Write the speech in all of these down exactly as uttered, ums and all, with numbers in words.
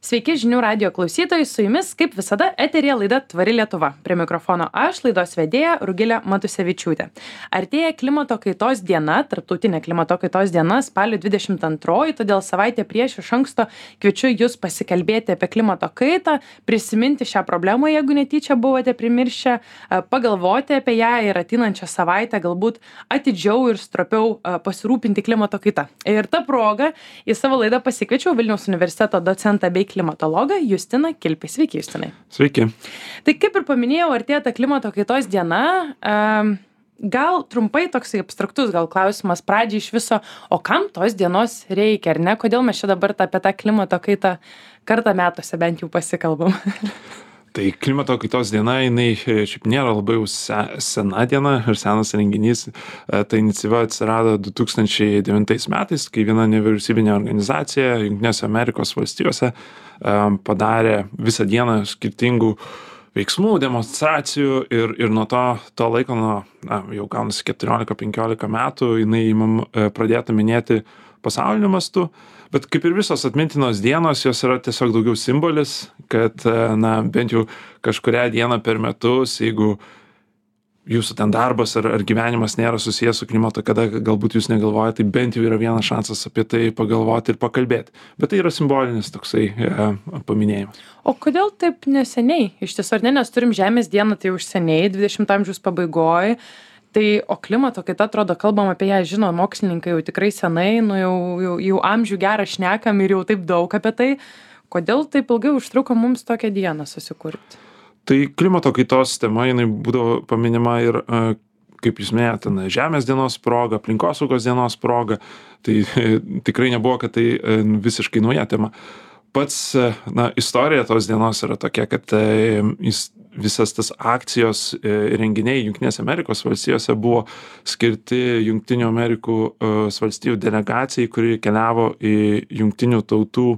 Sveiki žinių radijo klausytojai, su jumis kaip visada eteryje laida Tvari Lietuva. Prie mikrofono aš, laidos vedėja Rugilė Matusevičiūtė. Artėja klimato kaitos diena, tarptautinė klimato kaitos diena, spalio dvidešimt antroji, todėl savaitę prieš iš anksto kviečiu jūs pasikalbėti apie klimato kaitą, prisiminti šią problemą, jeigu netyčia buvote primiršę, pagalvoti apie ją ir ateinančią savaitę galbūt atidžiau ir stropiau pasirūpinti klimato kaitą. Ir ta proga į savo laidą pasikviečiau Vilniaus universiteto docentą bei klimatologą Justiną Kilpį. Sveiki, Justinai. Sveiki. Tai kaip ir paminėjau, artėja ta klimato kaitos diena. Gal trumpai toksai abstraktus gal klausimas pradžiai iš viso, o kam tos dienos reikia, ar ne? Kodėl mes čia dabar apie tą klimato kaitą kartą metuose bent jau pasikalbam? Tai klimato kaitos diena, jinai šiaip nėra labai jau se, sena diena ir senas renginys. Ta iniciatyva atsirado du tūkstančiai devintais metais, kai viena nevyriausybinė organizacija Jungtinėse Amerikos valstijose padarė visą dieną skirtingų veiksmų, demonstracijų ir, ir nuo to, to laiko, nuo na, jau gaunasi keturiolika penkiolika metų, jinai imam pradėta minėti pasauliniu mastu. Bet kaip ir visos atmintinos dienos, jos yra tiesiog daugiau simbolis, kad na, bent jau kažkurią dieną per metus, jeigu jūsų ten darbas ar, ar gyvenimas nėra susijęs su klimato, kada galbūt jūs negalvojate, tai bent jau yra vienas šansas apie tai pagalvoti ir pakalbėti. Bet tai yra simbolinis toksai e, paminėjimas. O kodėl taip neseniai? Iš tiesų, ar ne, nes turim Žemės dieną, tai už seniai, dvidešimto amžiaus pabaigoje. Tai, o klimato kaita, atrodo, kalbam apie ją, žino, mokslininkai jau tikrai senai, nu jau, jau, jau amžių gerą šnekam ir jau taip daug apie tai. Kodėl taip ilgai užtruko mums tokią dieną susikurti? Tai klimato kaitos tema, jinai būdavo paminima ir, kaip jūs minėjote, Žemės dienos proga, aplinkosaugos dienos proga. Tai tikrai nebuvo, kad tai visiškai nauja tema. Pats, na, istorija tos dienos yra tokia, kad jis visas tas akcijos renginiai Jungtinėse Amerikos valstijose buvo skirti Jungtinių Amerikos valstijų delegacijai, kuri keliavo į Jungtinių tautų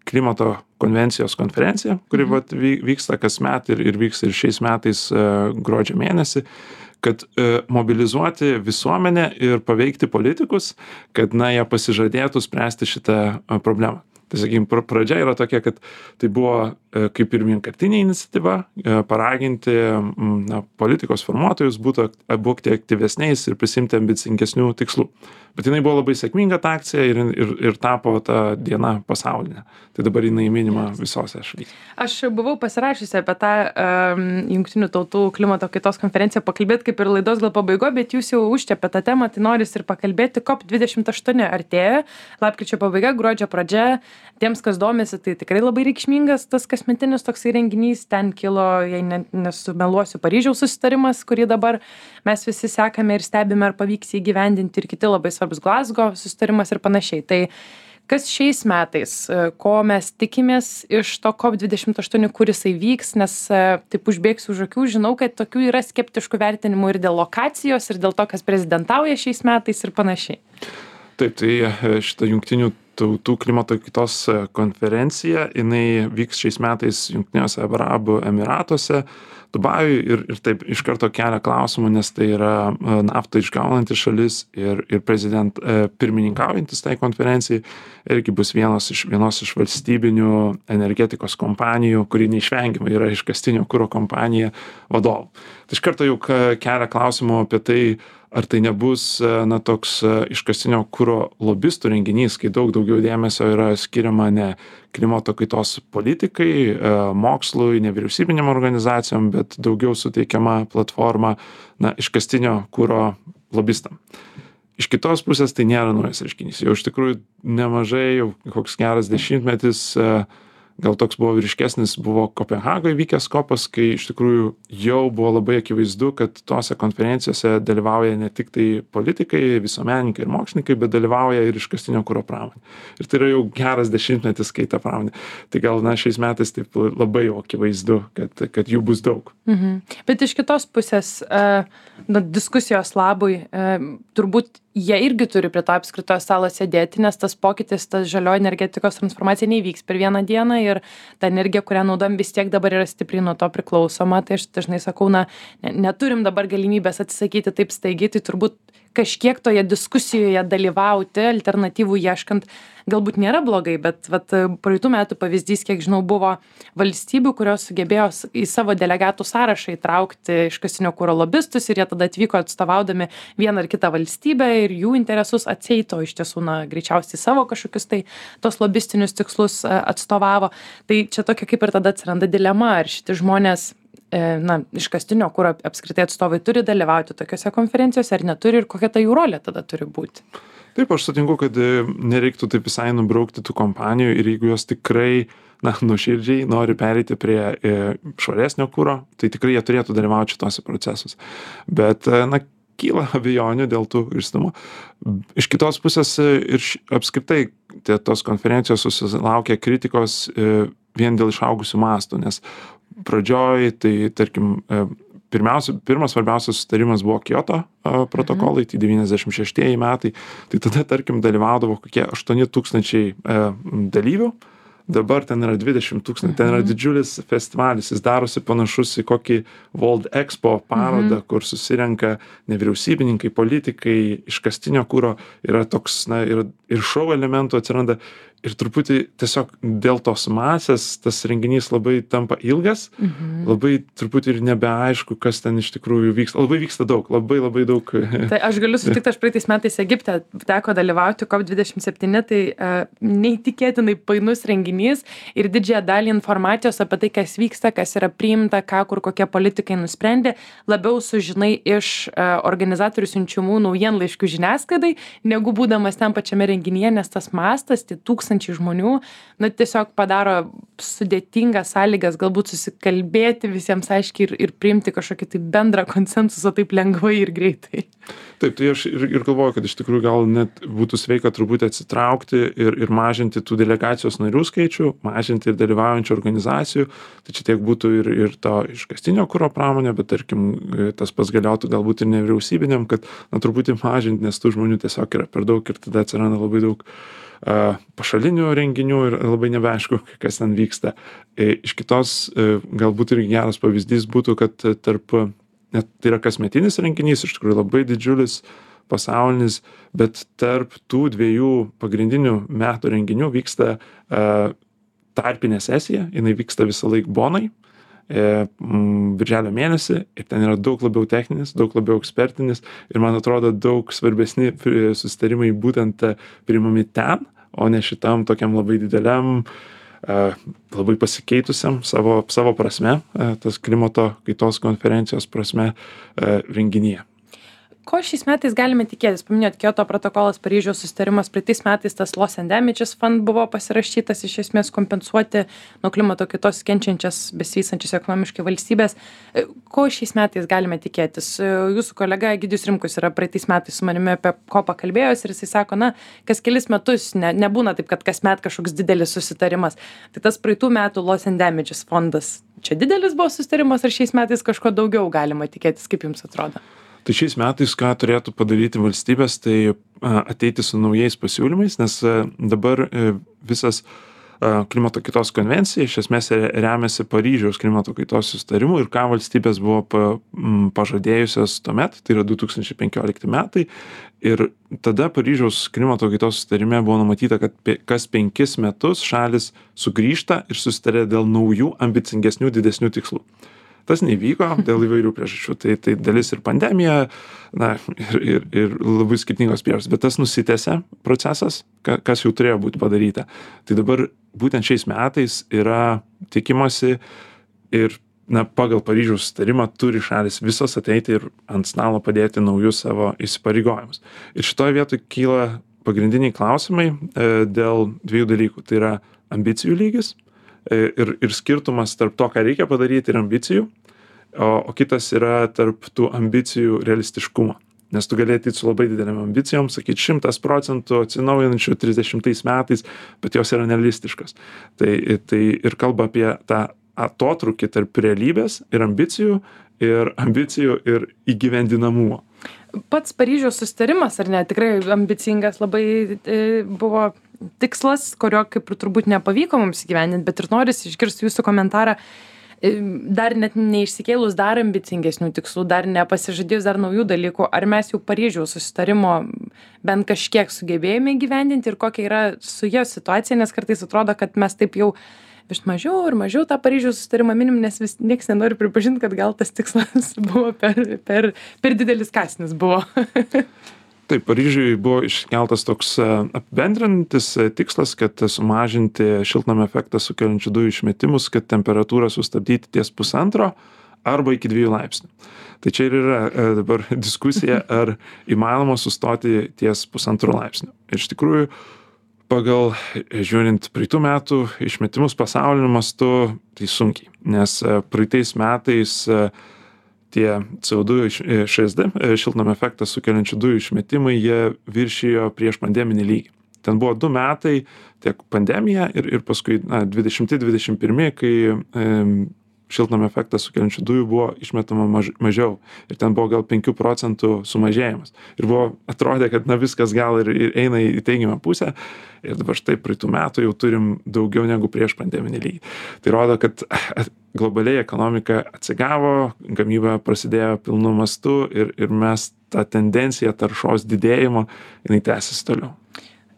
klimato konvencijos konferenciją, kuri mhm. vat, vyksta kasmet ir, ir vyks ir šiais metais gruodžio mėnesį, kad mobilizuoti visuomenę ir paveikti politikus, kad na, jie pasižadėtų spręsti šitą problemą. Tai, sakykime, pradžia yra tokia, kad tai buvo kaip ir vienkartinė iniciatyva paraginti na, politikos formuotojus būtų, būti aktyvesniais ir prisimti ambicingesnių tikslų. Bet jinai buvo labai sėkminga ta akcija ir, ir, ir tapo ta diena pasaulinė. Tai dabar jinai minima visose šalyse. Aš buvau pasirašysi apie tą um, Jungtinių tautų klimato kaitos konferenciją pakalbėti kaip ir laidos gal pabaigoje, bet jūs jau užčiapėte tą temą, tai noris ir pakalbėti. COP dvidešimt aštuoni artėja, lapkričio pabaiga, gruodžio pradžia. Tiems, kas domisi, tai tikrai labai reikšmingas tas kasmetinis toksai renginys. Ten kilo, jei ne, nesumeluosiu, Paryžiaus susitarimas, kurį dabar mes visi sekame ir stebime, ar pavyks įgyvendinti, ir kiti labai svarbus Glasgow susitarimas ir panašiai. Tai kas šiais metais, ko mes tikimės iš to COP dvidešimt aštuoni, kur jisai vyks, nes taip užbėgsiu už akių, žinau, kad tokių yra skeptiškų vertinimų ir dėl lokacijos, ir dėl to, kas prezidentauja šiais metais ir panašiai. Taip, tai šitą Jungtinių tautų klimato kaitos konferencija, jinai vyks šiais metais Jungtiniuose Arabų Emyratuose, Dubajui ir, ir taip iš karto kelia klausimų, nes tai yra naftą išgaunanti šalis ir, ir prezident pirmininkaujantis tai konferencijai irgi bus vienos iš, vienos iš valstybinių energetikos kompanijų, kuri neišvengiamai yra iškastinio kuro kompanija vadovų. Tai iš karto jau kelia klausimų apie tai, ar tai nebus na, toks iškastinio kuro lobistų renginys, kai daug daugiau dėmesio yra skiriama ne klimato kaitos politikai, mokslui, nevyriausybinėm organizacijom, bet daugiau suteikiama platforma na, iškastinio kuro lobistam. Iš kitos pusės tai nėra naujas reiškinys. Jau iš tikrųjų nemažai, jau koks geras dešimtmetis, gal toks buvo vyriškesnis, buvo Kopenhagoje vykęs kopas, kai iš tikrųjų jau buvo labai akivaizdu, kad tose konferencijose dalyvauja ne tik tai politikai, visuomenininkai ir mokslininkai, bet dalyvauja ir iškastinio kuro pramonė. Ir tai yra jau geras dešimtmetis, kai ta pramonė. Tai gal na, šiais metais taip labai jau akivaizdu, kad, kad jų bus daug. Mhm. Bet iš kitos pusės, na, diskusijos labui, turbūt jie irgi turi prie to apskrito stalo sėdėti, nes tas pokytis, tas žalioji energetikos transformacija neįvyks per vieną dieną ir ta energija, kurią naudojam, vis tiek dabar yra stipriai nuo to priklausoma. Tai aš dažnai sakau, na, ne, neturim dabar galimybės atsisakyti taip staigiai, tai turbūt kažkiek toje diskusijoje dalyvauti, alternatyvų ieškant, galbūt nėra blogai, bet vat, praeitų metų pavyzdys, kiek žinau, buvo valstybių, kurios sugebėjo į savo delegatų sąrašą įtraukti iškastinio kuro lobistus ir jie tada atvyko atstovaudami vieną ar kitą valstybę ir jų interesus atseito iš tiesų, na, greičiausiai savo kažkokius tai tos lobistinius tikslus atstovavo. Tai čia tokia kaip ir tada atsiranda dilema, ar šitie žmonės na, iškastinio kuro apskritai atstovai turi dalyvauti tokiuose konferencijose ar neturi ir kokia ta jų rolė tada turi būti. Taip, aš sutinku, kad nereiktų taip visai nubraukti tų kompanijų ir jeigu jos tikrai, na, nuoširdžiai nori pereiti prie švaresnio kuro, tai tikrai jie turėtų dalyvauti šitose procesuose. Bet, na, kyla abejonių dėl tų išstumų. Iš kitos pusės ir apskritai tie, tos konferencijos susilaukia kritikos vien dėl išaugusių mastų, nes pradžioj, tai tarkim, pirmiausia, pirmas svarbiausias sustarimas buvo Kyoto protokolai, tai devyniasdešimt šeštieji metai, tai tada, tarkim, dalyvaudavo kokie aštuoni tūkstančiai dalyvių, dabar ten yra dvidešimt tūkstančių, ten yra didžiulis festivalis, jis darosi panašus į kokį World Expo parodą, mhm. kur susirenka nevyriausybininkai, politikai, iškastinio kuro, yra toks, na, ir, ir šou elementų atsiranda. Ir truputį tiesiog dėl tos masės tas renginys labai tampa ilgas, mhm. labai truputį ir nebeaišku, kas ten iš tikrųjų vyksta. Labai vyksta daug, labai labai daug. Tai aš galiu sutikti, aš praeitais metais Egipte teko dalyvauti COP dvidešimt septyni, tai uh, neįtikėtinai painus renginys ir didžiąją dalį informacijos apie tai, kas vyksta, kas yra priimta, ką, kur kokie politikai nusprendė, labiau sužinai iš uh, organizatorių siunčiamų naujienlaiškių žiniasklaidai, negu būdamas ten pačiame renginyje, nes tas mastas, tai tūkstančiai žmonių, na, tiesiog padaro sudėtingas sąlygas galbūt susikalbėti visiems aiškiai ir, ir priimti kažkokį tai bendrą konsensusą taip lengvai ir greitai. Taip, tai aš ir, ir galvoju, kad iš tikrųjų gal net būtų sveika truputį atsitraukti ir, ir mažinti tų delegacijos narių skaičių, mažinti ir dalyvaujančių organizacijų, tai čia tiek būtų ir, ir to iškastinio kuro pramonė, bet tarkim, tas pats galėtų galbūt ir nevyriausybiniam, kad na, truputį mažinti, nes tų žmonių tiesiog yra per daug ir tada atsiranda labai daug pašalinių renginių ir labai nebeaišku, kas ten vyksta. Iš kitos, galbūt ir geras pavyzdys būtų, kad tarp, net tai yra kasmetinis renginys, iš tikrųjų labai didžiulis pasaulinis, bet tarp tų dviejų pagrindinių metų renginių vyksta tarpinė sesija, jinai vyksta visą laiką Bonai, birželio mėnesį ir ten yra daug labiau techninis, daug labiau ekspertinis ir man atrodo daug svarbesni susitarimai būtent priimami ten, o ne šitam tokiam labai dideliam, labai pasikeitusiam savo, savo prasme, tas klimato kaitos konferencijos prasme renginyje. Ko šiais metais galime tikėtis? Paminėjot Kyoto protokolas, Paryžiaus susitarimas, praeitais metais tas Loss and Damages Fund buvo pasirašytas iš esmės kompensuoti nuo klimato kaitos kenčiančias, besivystančias ekonomiškai valstybės. Ko šiais metais galime tikėtis? Jūsų kolega Egidijus Rimkus yra praeitais metais su manimi apie ko pakalbėjęs ir jisai sako, na, kas kelis metus ne, nebūna taip, kad kasmet kažkoks didelis susitarimas. Tai tas praeitų metų Loss and Damages fondas, čia didelis buvo susitarimas ar šiais metais kažko daugiau galima tikėtis, kaip jums atrodo? Tai šiais metais, ką turėtų padaryti valstybės, tai ateiti su naujais pasiūlymais, nes dabar visas klimato kaitos konvencija iš esmės remiasi Paryžiaus klimato kaitos susitarimu ir ką valstybės buvo pa, pažadėjusios tuomet, tai yra du tūkstančiai penkiolikti metai. Ir tada Paryžiaus klimato kaitos susitarime buvo numatyta, kad kas penkis metus šalis sugrįžta ir susitarė dėl naujų, ambicingesnių, didesnių tikslų. Tas nevyko dėl įvairių priežasčių, tai, tai dalis ir pandemija, na, ir, ir, ir labai skirtingos priežastys, bet tas nusitęsė procesas, kas jau turėjo būti padaryta. Tai dabar būtent šiais metais yra tikimasi ir, na, pagal Paryžiaus susitarimą turi šalis visos ateiti ir ant stalo padėti naujus savo įsipareigojimus. Ir šitoje vietoje kyla pagrindiniai klausimai e, dėl dviejų dalykų, tai yra ambicijų lygis, Ir, ir skirtumas tarp to, ką reikia padaryti ir ambicijų, o, o kitas yra tarp tų ambicijų realistiškumo. Nes tu gali ateiti su labai didelėm ambicijom, sakyti šimtas procentų atsinaujinančių trisdešimtais metais, bet jos yra nerealistiškas. Tai, tai ir kalba apie tą atotrūkį tarp realybės ir ambicijų, ir ambicijų ir įgyvendinamumo. Pats Paryžiaus susitarimas, ar ne, tikrai ambicingas labai e, buvo tikslas, kurio kaip ir turbūt nepavyko mums įgyvendinti, bet ir norisi išgirsti jūsų komentarą. dar net neišsikėlus dar ambicingesnių tikslų, dar nepasižadėjus dar naujų dalykų, ar mes jau Paryžiaus susitarimo bent kažkiek sugebėjome gyvendinti ir kokia yra su jo situacija, nes kartais atrodo, kad mes taip jau vis mažiau ir mažiau tą Paryžiaus susitarimą minim, nes vis nieks nenori pripažinti, kad gal tas tikslas buvo per, per, per didelis kąsnis buvo. Taip, Paryžiui buvo iškeltas toks apibendrinantis tikslas, kad sumažinti šiltnamio efektą sukeliančių dujų išmetimus, kad temperatūrą sustabdyti ties pusantro arba iki dviejų laipsnių. Tai čia ir yra dabar diskusija, ar įmanoma sustoti ties pusantro laipsnių. Ir iš tikrųjų, pagal žiūrint praeitų metų išmetimus pasauliniu mastu, tai sunkiai, nes praeitais metais tie C O du Š S D, šiltnamio efektą sukeliančių dujų išmetimai, jie viršijo prieš pandeminį lygį. Ten buvo du metai, tiek pandemija ir, ir paskui na, dvidešimti dvidešimt pirmi, kai e, šiltnamio efektą sukeliančių dujų buvo išmetama maž, mažiau. Ir ten buvo gal penkių procentų sumažėjimas. Ir buvo, atrodė, kad na, viskas gal ir, ir eina į teigiamą pusę. Ir dabar štai praeitų metų jau turim daugiau negu prieš pandeminį lygį. Tai rodo, kad globaliai ekonomika atsigavo, gamyba prasidėjo pilnu mastu ir, ir mes tą tendenciją taršos didėjimo, jinai tęsis toliau.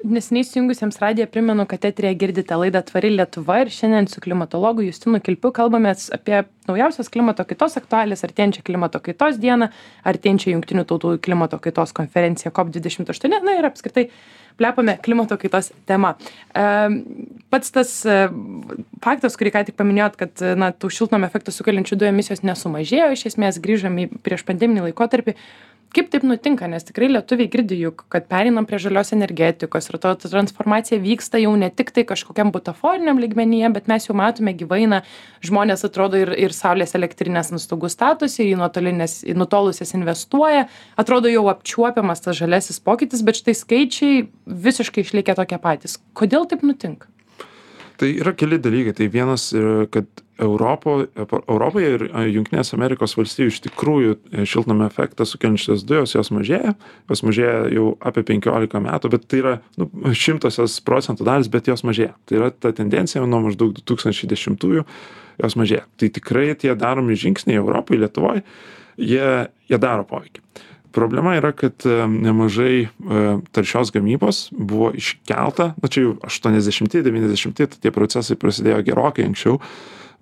Neseniai įsijungusiems radiją primenu, kad eteryje girdite laidą Tvari Lietuva ir šiandien su klimatologu Justinu Kilpiu kalbamės apie naujausias klimato kaitos aktualijas, artėjančią klimato kaitos dieną, artėjančią Jungtinių tautų klimato kaitos konferenciją COP dvidešimt aštuoni, na ir apskritai plepame klimato kaitos tema. Pats tas faktas, kurį ką tik paminėjot, kad na, tų šiltnamio efektą sukeliančių dujų emisijos nesumažėjo, iš esmės grįžom į prieš pandeminį laikotarpį. Kaip taip nutinka, nes tikrai lietuviai girdi juk, kad pereinam prie žalios energetikos ir to transformacija vyksta jau ne tik tai kažkokiam butaforiniam lygmenyje, bet mes jau matome gyvainą, žmonės atrodo ir, ir saulės elektrinės ant stogų statosi, į, į nutolusias investuoja, atrodo jau apčiuopiamas tas žalesis pokytis, bet štai skaičiai visiškai išlikę tokie patys. Kodėl taip nutinka? Tai yra keli dalykai. Tai vienas, kad Europo, Europoje ir Jungtinės Amerikos valstijų iš tikrųjų šiltnamio efektą sukeliančios dujos, jos mažėja. Jos mažėja jau apie penkiolika metų, bet tai yra nu, šimtosios procentų dalis, bet jos mažėja. Tai yra ta tendencija nuo maždaug du tūkstančiai dešimtųjų jos mažėja. Tai tikrai tie daromi žingsniai Europai, Lietuvoje, jie, jie daro poveikį. Problema yra, kad nemažai taršios gamybos buvo iškelta, na čia jau aštuoniasdešimti devyniasdešimti, tie procesai prasidėjo gerokai anksčiau,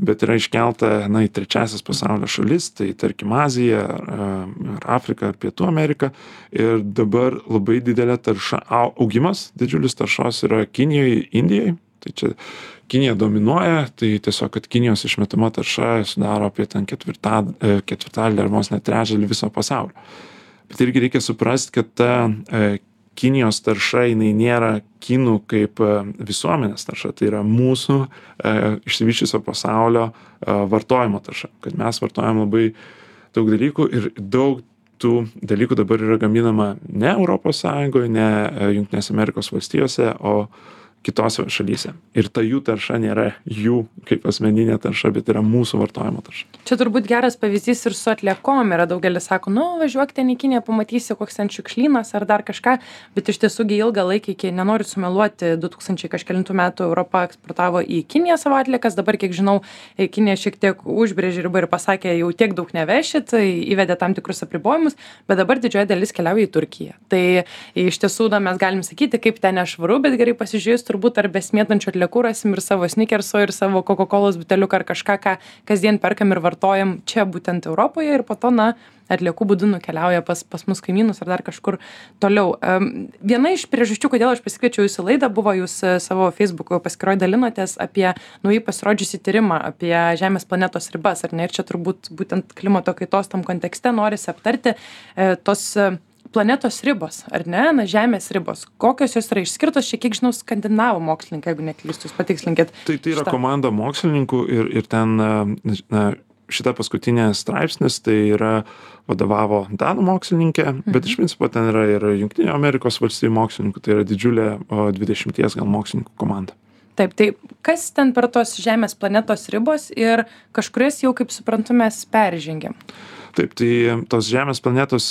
bet yra iškelta na, į trečiasias pasaulio šalis, tai tarkim Azija, ar Afrika, ar Pietų Amerika. Ir dabar labai didelė tarša, augimas didžiulis taršos yra Kinijoje, Indijoje. Tai čia Kinija dominuoja, tai tiesiog, kad Kinijos išmetama tarša sudaro apie ten ketvirtadalį, ketvirtadalį ar vos net trečdalį viso pasaulio. Bet irgi reikia suprasti, kad ta e, Kinijos tarša, jinai nėra kinų kaip e, visuomenės tarša, tai yra mūsų e, išsivyščiusio pasaulio e, vartojimo tarša. Kad mes vartojam labai daug dalykų ir daug tų dalykų dabar yra gaminama ne Europos Sąjungoje, ne Jungtinės Amerikos valstijose, o kitose šalyse. Ir ta jų tarša nėra jų kaip asmeninė tarša, bet yra mūsų vartojimo tarša. Čia turbūt geras pavyzdys ir su atliekom. Yra daugelis sako, nu, važiuok ten į Kiniją, pamatysi, koks ten šiukšlynas ar dar kažką, bet iš tiesų ilgą laiką, iki nenoriu sumeluoti, du tūkstančiai kažkelintų metų Europa eksportavo į Kiniją savo atliekas, dabar, kiek žinau, Kinija šiek tiek užbrėžė ribą ir pasakė, jau tiek daug nevešit, įvedė tam tikrus apribojimus, bet dabar didžioji dalis keliauja į Turkiją. Tai iš tiesų, na, mes galim sakyti, kaip ten nešvaru, bet gerai pasižiūrėjus, turbūt ar besmėtančių atliekų rasim ir savo snickerso, ir savo Coca-Colos buteliuką ar kažką, ką kasdien perkam ir vartojam čia būtent Europoje ir po to, na, atliekų būdu nukeliauja pas, pas mus kaimynus ar dar kažkur toliau. Um, viena iš priežasčių, kodėl aš pasikviečiau jūsų laidą, buvo jūs savo Facebook paskyroje dalinotės apie naujai pasirodžiusį tyrimą apie Žemės planetos ribas, ar ne? Ir čia turbūt būtent klimato kaitos tam kontekste norisi aptarti e, tos planetos ribos, ar ne, na, Žemės ribos. Kokios jos yra išskirtos, šiek tiek žinau, skandinavų mokslininkai, jeigu neklystu, jūs patikslinkit. Tai, tai yra šitą komanda mokslininkų ir, ir ten na, šita paskutinė straipsnis, tai yra vadovavo danų mokslininkė, mhm. bet iš principo ten yra ir Jungtinių Amerikos valstijų mokslininkų, tai yra didžiulė dvidešimties gal mokslininkų komanda. Taip, tai kas ten per tos Žemės planetos ribos ir kažkurias jau, kaip suprantu, mes peržengėm? Taip, tai tos Žemės planetos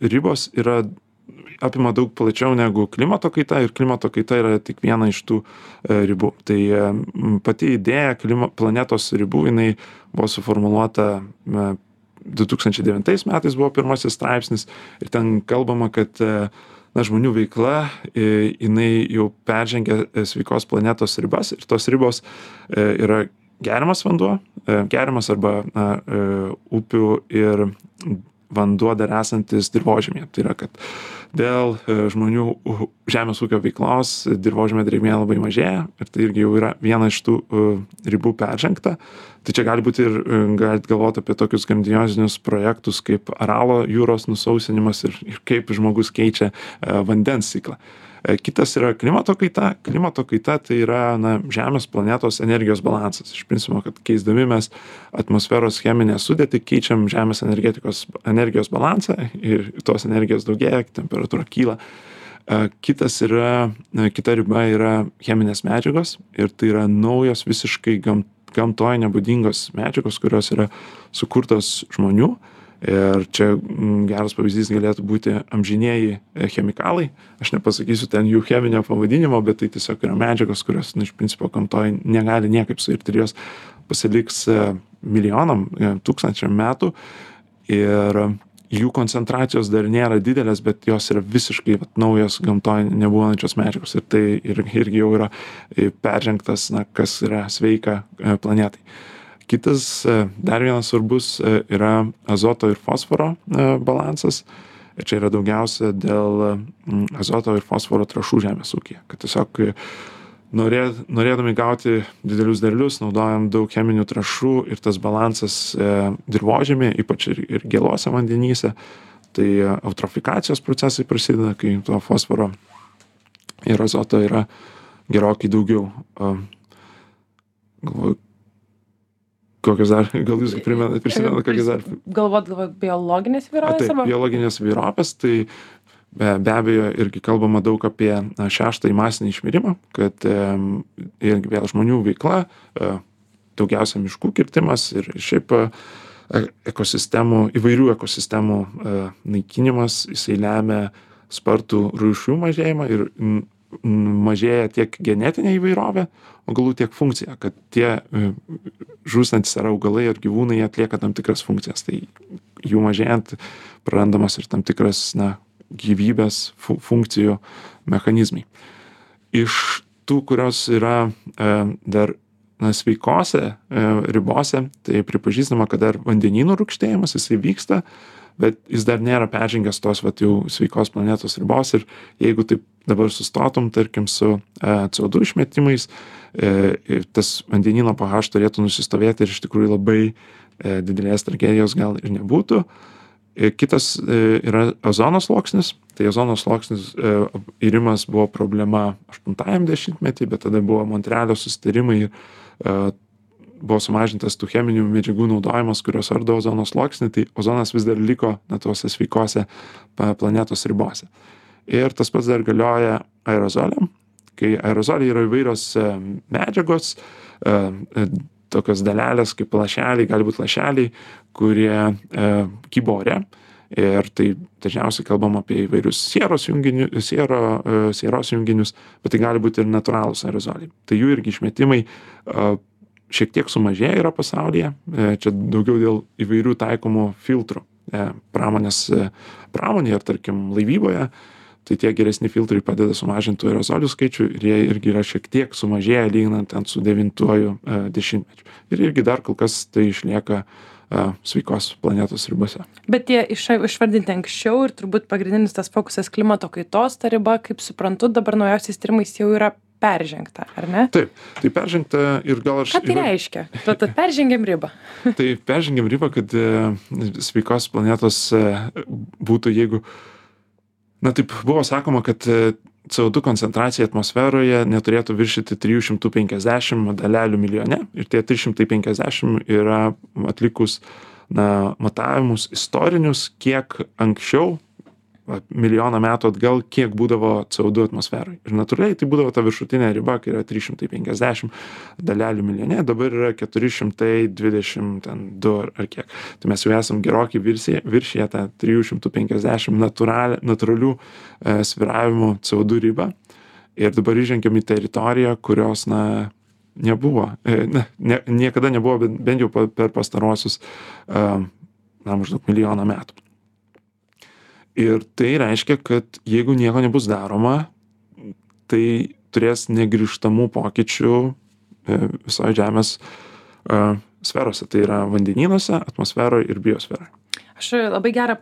ribos yra apima daug plačiau negu klimato kaita ir klimato kaita yra tik viena iš tų ribų. Tai pati idėja klima, planetos ribų, jinai buvo suformuluota du tūkstančiai devintais metais buvo pirmasis straipsnis ir ten kalbama, kad na, žmonių veikla, jinai jau peržengia sveikos planetos ribas ir tos ribos yra geriamas vanduo, geriamas arba na, upių ir vanduo dar esantis dirvožemyje. Tai yra, kad dėl žmonių žemės ūkio veiklos dirvožemio drėgmė labai mažėja ir tai irgi jau yra viena iš tų ribų peržengta. Tai čia gali būti ir galit galvoti apie tokius grandiozinius projektus kaip Aralo jūros nusausinimas ir, ir kaip žmogus keičia vandens ciklą. Kitas yra klimato kaita. Klimato kaita tai yra na, Žemės planetos energijos balansas. Iš principo, kad keisdami mes atmosferos cheminę sudėtį keičiam Žemės energetikos energijos balansą ir tos energijos daugėja, temperatūra kyla. Kitas yra, kita riba yra cheminės medžiagos ir tai yra naujos visiškai gam, gamtoje nebūdingos medžiagos, kurios yra sukurtos žmonių. Ir čia geras pavyzdys galėtų būti amžinieji chemikalai. Aš nepasakysiu ten jų cheminio pavadinimo, bet tai tiesiog yra medžiagos, kurios, nu, iš principo, gamtoje negali niekaip suirti ir jos pasiliks milijonam, tūkstančiam metų. Ir jų koncentracijos dar nėra didelės, bet jos yra visiškai vat, naujos gamtoje nebūnančios medžiagos. Ir tai irgi jau yra peržengtas, na, kas yra sveika planetai. Kitas, dar vienas svarbus yra azoto ir fosforo balansas. Ir čia yra daugiausia dėl azoto ir fosforo trąšų žemės ūkyje. Kad tiesiog norė, norėdami gauti didelius derlius, naudojam daug cheminių trąšų ir tas balansas dirvožemyje, ypač ir, ir gėluose vandenyse. Tai eutrofikacijos procesai prasideda, kai to fosforo ir azoto yra gerokai daugiau. Galvoju, kokios dar, gal jūs primenat, prisimenat, kokios dar. Galvot, galvot, biologinės įvairovės? Taip, biologinės įvairovės, tai be, be abejo irgi kalbama daug apie na, šeštąjį masinį išmirimą, kad e, irgi vėl žmonių veikla, e, daugiausia miškų kirtimas ir šiaip e, ekosistemų, įvairių ekosistemų e, naikinimas, jisai lemia spartų rūšių mažėjimą ir m, mažėja tiek genetinė įvairovė, augalų tiek funkcija, kad tie žūstantis ar augalai ar gyvūnai atlieka tam tikras funkcijas. Tai jų mažėjant prarandamas ir tam tikras na, gyvybės fu funkcijų mechanizmai. Iš tų, kurios yra e, dar na, sveikose e, ribose, tai pripažįstama, kad dar vandenynų rūgštėjimas jisai vyksta, bet jis dar nėra peržengęs tos vat, jau sveikos planetos ribos ir jeigu taip dabar sustotum, tarkim, su e, C O du išmetimais, e, tas vandenyno pH turėtų nusistovėti ir iš tikrųjų labai e, didelės tragedijos gal ir nebūtų. E, kitas e, yra ozono sluoksnis. Tai ozono sluoksnis e, irimas buvo problema aštuntajam dešimtmetį, bet tada buvo Montrealio susitarimai ir e, buvo sumažintas tų cheminių medžiagų naudojimas, kurios ardo ozono sluoksnį, tai ozonas vis dar liko na, tuose sveikose planetos ribose. Ir tas pats dar galioja aerozoliam, kai aerozoliai yra įvairios medžiagos, tokios dalelės kaip lašeliai, gali būti lašeliai, kurie kybo ore. Ir tai dažniausiai kalbam apie įvairius sieros junginius, siero, sieros junginius, bet tai gali būti ir natūralūs aerozoliai. Tai jų irgi išmetimai šiek tiek sumažėja yra pasaulyje, čia daugiau dėl įvairių taikomų filtrų pramonės pramonėje ar tarkim laivyboje, tai tie geresni filtrai padeda sumažinti aerozolių skaičių ir jie irgi yra šiek tiek sumažėję lyginant ten su devintuoju dešimtmečiu. Ir irgi dar kol kas tai išlieka sveikos planetos ribose. Bet tie iš, išvardinti anksčiau ir turbūt pagrindinis tas fokusas klimato kaitos, ta riba, kaip suprantu, dabar naujausiais tyrimais jau yra peržengta, ar ne? Taip, tai peržengta ir gal aš... Ką tai reiškia? Tad peržengėm ribą. Tai peržengėm ribą, kad sveikos planetos būtų, jeigu... Na taip, buvo sakoma, kad C O du koncentracija atmosferoje neturėtų viršyti trijų šimtų penkiasdešimt dalelių milijone. Ir tie trys šimtai penkiasdešimt yra atlikus na, matavimus istorinius, kiek anksčiau va, milijoną metų atgal, kiek būdavo C O du atmosferoje. Ir natūraliai tai būdavo ta viršutinė riba, kai yra trys šimtai penkiasdešimt dalelių milijone, dabar yra keturi šimtai dvidešimt du ar, ar kiek. Tai mes jau esam gerokai viršyje tą trijų šimtų penkiasdešimt natūral, natūralių e, svyravimų C O du ribą. Ir dabar įžengiam į teritoriją, kurios, na, nebuvo, e, ne, ne, niekada nebuvo, bent, bent jau per pastaruosius, e, na, maždaug milijoną metų. Ir tai reiškia, kad jeigu nieko nebus daroma, tai turės negrįžtamų pokyčių visoje Žemės uh, sferose. Tai yra vandenynuose, atmosferoje ir biosferoje. Aš labai gerą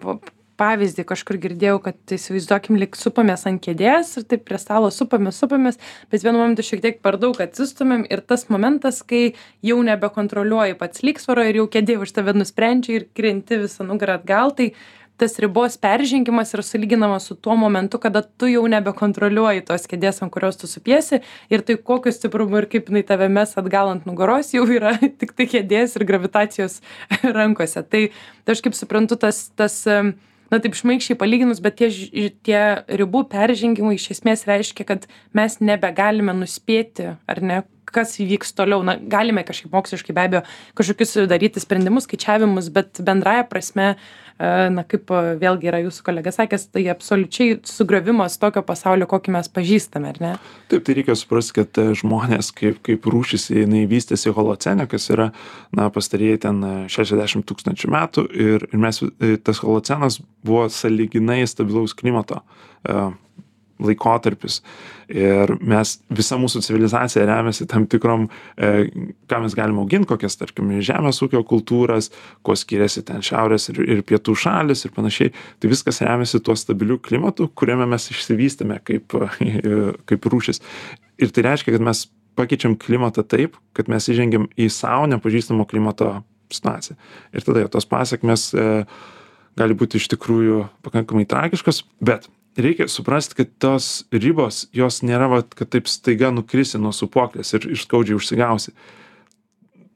pavyzdį kažkur girdėjau, kad įsivaizduokim, lyg supamės ant kėdės ir taip prie stalo supamės, supamės, bet vienu momentu šiek tiek per daug atsistumėm ir tas momentas, kai jau nebekontroliuoji pats lygsvaro ir jau kėdė už tave nusprendžia ir krenti visą nugarą atgal, tai tas ribos peržengimas yra sulyginamas su tuo momentu, kada tu jau nebekontroliuoji tos kėdės, ant kurios tu supiesi ir tai kokiu stiprumu ir kaip jinai tave mes atgal ant nugaros jau yra tik tai kėdės ir gravitacijos rankose. Tai, tai aš kaip suprantu, tas, tas, na taip šmaikščiai palyginus, bet tie, tie ribų peržengimai iš esmės reiškia, kad mes nebegalime nuspėti, ar ne, kas įvyks toliau. Na, galime kažkaip moksliškai be abejo kažkokius daryti sprendimus, skaičiavimus, bet bendraja prasme, na, kaip vėlgi yra jūsų kolega sakęs, tai absoliučiai sugriovimas tokio pasaulio, kokį mes pažįstame, ar ne? Taip, tai reikia suprasti, kad žmonės kaip, kaip rūšis, jinai vystėsi holocene, kas yra, na, pastarieji ten šešiasdešimt tūkstančių metų ir, ir mes, tas holocenas buvo sąlyginai stabilaus klimato laikotarpis. Ir mes, visa mūsų civilizacija remiasi tam tikrom, e, ką mes galime auginti, kokias, tarkim, žemės ūkio kultūras, kuo skiriasi ten šiaurės ir, ir pietų šalis ir panašiai. Tai viskas remiasi tuo stabiliu klimatu, kuriame mes išsivystėme kaip, kaip rūšis. Ir tai reiškia, kad mes pakeičiam klimatą taip, kad mes įžengiam į savo nepažįstamo klimato situaciją. Ir tada tos pasiekmes e, gali būti iš tikrųjų pakankamai tragiškos, bet reikia suprasti, kad tos ribos, jos nėra, vat, kad taip staiga nukrisi nuo sūpuoklės ir, ir skaudžiai užsigausi.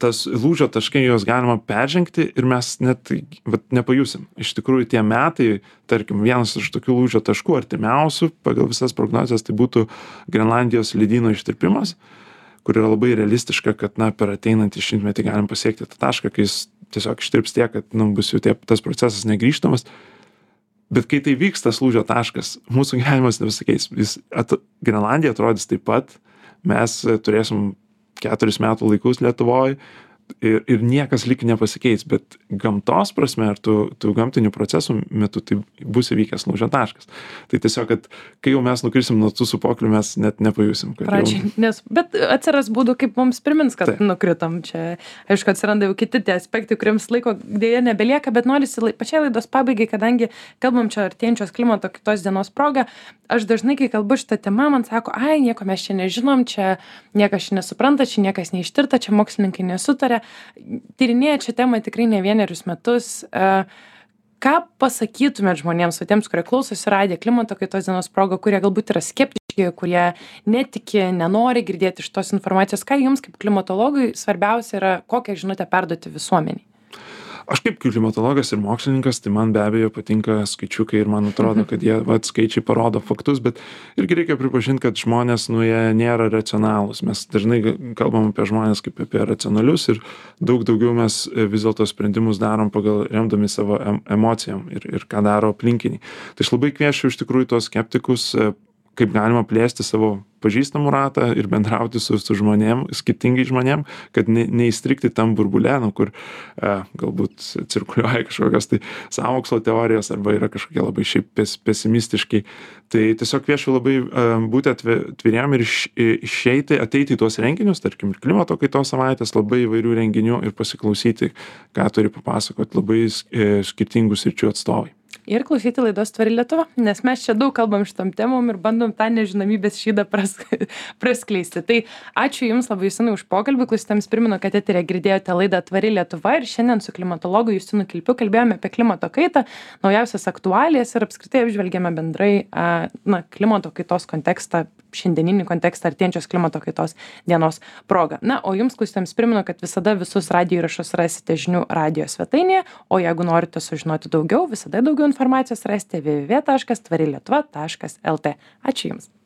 Tas lūžio taškai juos galima peržengti ir mes net vat, nepajusim. Iš tikrųjų tie metai, tarkim, vienas iš tokių lūžio taškų artimiausių pagal visas prognozes, tai būtų Grenlandijos ledyno ištirpimas, kur yra labai realistiška, kad, na, per ateinantį šimtmetį galim pasiekti tą tašką, kai jis tiesiog ištirps tiek, kad, nu, bus jau tie, tas procesas negrįžtamas. Bet kai tai vyks tas lūžio taškas, mūsų gyvenimas nebesikeis. Jis at, Grenlandija atrodys taip pat, mes turėsim keturis metų laikus Lietuvoje ir, ir niekas lyg nepasikeis, bet gamtos prasme ar tų, tų gamtinių procesų metu tai bus įvykęs lūžio taškas. Tai tiesiog, kad kai jau mes nukrisim nuo tų sūpuoklių, mes net nepajusim. Pradžiai, jau... nes, bet atsiras būdų, kaip mums primins, kad tai nukritom. Čia, aišku, atsiranda jau kiti tie aspektai, kuriems laiko dėja nebelieka, bet norisi pačiai laidos pabaigai, kadangi kalbam čia artėjančios klimato kitos dienos proga, aš dažnai, kai kalbu šitą temą, man sako, ai, nieko mes čia nežinom, čia niekas čia nesupranta, čia niekas neištirta, čia mokslininkai nesutarė. Tyrinėja čia temą tikrai ne vienerius metus. Ką pasakytumėt žmonėms, tiems, kurie klausosi radijo klimato kaitos dienos proga, kurie galbūt yra skeptiški, kurie netiki, nenori girdėti iš tos informacijos, ką jums kaip klimatologui svarbiausia yra, kokią žinutę perduoti visuomeniai? Aš kaip klimatologas ir mokslininkas, tai man be abejo patinka skaičiukai ir man atrodo, kad jie, vat, skaičiai parodo faktus, bet irgi reikia pripažinti, kad žmonės, nu, jie nėra racionalūs. Mes dažnai kalbam apie žmonės kaip apie racionalius ir daug daugiau mes vis dėlto sprendimus darom pagal remdami savo emocijom ir, ir ką daro aplinkiniai. Tai aš labai kviečiu iš tikrųjų tos skeptikus, kaip galima plėsti savo pažįstamų ratą ir bendrauti su, su žmonėm, skirtingai žmonėm, kad ne, neįstrikti tam burbule, nu, kur e, galbūt cirkuliuoja kažkokios tai sąmokslo teorijos arba yra kažkokie labai šiaip pes, pesimistiškai. Tai tiesiog kviečiu labai e, būti atviriem ir iš, išeiti, ateiti į tuos renginius, tarkim, ir klimato kaitos savaitės, labai įvairių renginių ir pasiklausyti, ką turi papasakoti labai e, skirtingų sričių atstovai. Ir klausyti laidos Tvari Lietuva, nes mes čia daug kalbam šitom temom ir bandom tą nežinomybės šydą pras, praskleisti. Tai ačiū Jums labai Justinai už pokalbį, klausytams primenu, kad eteryje girdėjote laidą Tvari Lietuva ir šiandien su klimatologu Justinu Kilpiu kalbėjome apie klimato kaitą, naujausias aktualijas ir apskritai apžvelgėme bendrai na, klimato kaitos kontekstą, šiandieninį kontekstą artėjančios klimato kaitos dienos proga. Na, o Jums klausytams primenu, kad visada visus radijo įrašus rasite žinių radijo svetainėje, o jeigu norite sužinoti daugiau, visada daugiau informacijos informacijos rasite w w w taškas tvari lietuva taškas lt. Ačiū Jums.